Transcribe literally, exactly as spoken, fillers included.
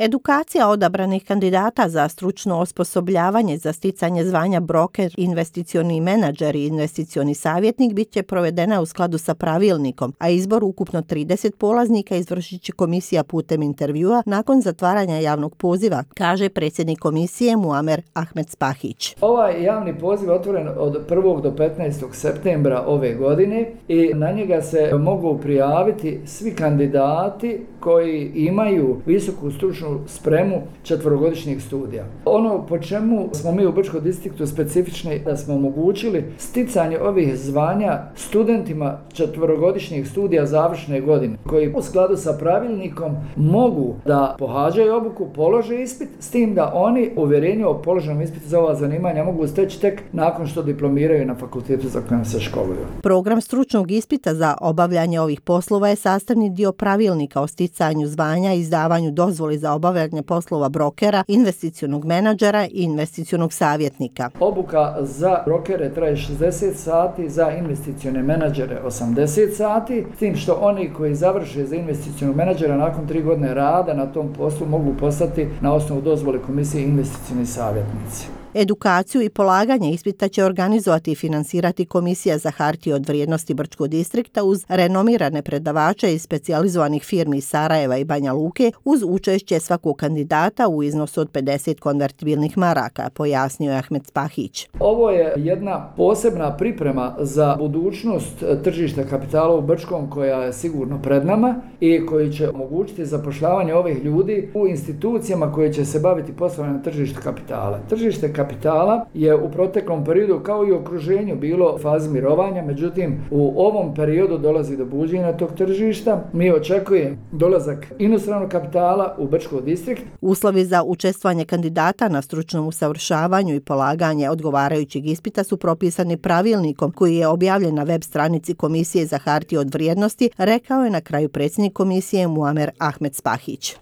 Edukacija odabranih kandidata za stručno osposobljavanje za sticanje zvanja broker, investicioni menadžer i investicioni savjetnik bit će provedena u skladu sa pravilnikom, a izbor ukupno trideset polaznika izvršit će komisija putem intervjua nakon zatvaranja javnog poziva, kaže predsjednik komisije Muamer Ahmed Spahić. Ovaj javni poziv je otvoren od prvog do petnaestog septembra ove godine i na njega se mogu prijaviti svi kandidati koji imaju visoku stručnu spremu četverogodišnjih studija. Ono po čemu smo mi u Brčkom distriktu specifični da smo omogućili sticanje ovih zvanja studentima četverogodišnjih studija završne godine koji u skladu sa pravilnikom mogu da pohađaju obuku, polože ispit, s tim da oni uvjerenje o položenom ispitu za ova zanimanja mogu steći tek nakon što diplomiraju na fakultetu za kojem se školuju. Program stručnog ispita za obavljanje ovih poslova je sastavni dio pravilnika o sticanju zvanja i izdavanju dozvoli za obavljanje poslova brokera, investicionog menadžera i investicionog savjetnika. Obuka za brokere traje šezdeset sati, za investicione menadžere osamdeset sati, s tim što oni koji završe za investicionog menadžera nakon tri godine rada na tom poslu mogu postati na osnovu dozvole komisije investicioni savjetnici. Edukaciju i polaganje ispita će organizovati i finansirati Komisija za hartije od vrijednosti Brčkog distrikta uz renomirane predavače iz specijalizovanih firmi iz Sarajeva i Banja Luke uz učešće svakog kandidata u iznosu od pedeset konvertibilnih maraka, pojasnio je Ahmed Spahić. Ovo je jedna posebna priprema za budućnost tržišta kapitala u Brčkom koja je sigurno pred nama i koji će omogućiti zapošljavanje ovih ljudi u institucijama koje će se baviti poslovanjem tržišta kapitala. Tržište kapitala je u proteklom periodu kao i u okruženju bilo u fazi mirovanja, međutim u ovom periodu dolazi do buđenja tog tržišta. Mi očekujemo dolazak inostranog kapitala u Brčki distrikt. Uslovi za učestvovanje kandidata na stručnom usavršavanju i polaganje odgovarajućeg ispita su propisani pravilnikom koji je objavljen na web stranici Komisije za hartije od vrijednosti, rekao je na kraju predsjednik komisije Muamer Ahmed Spahić.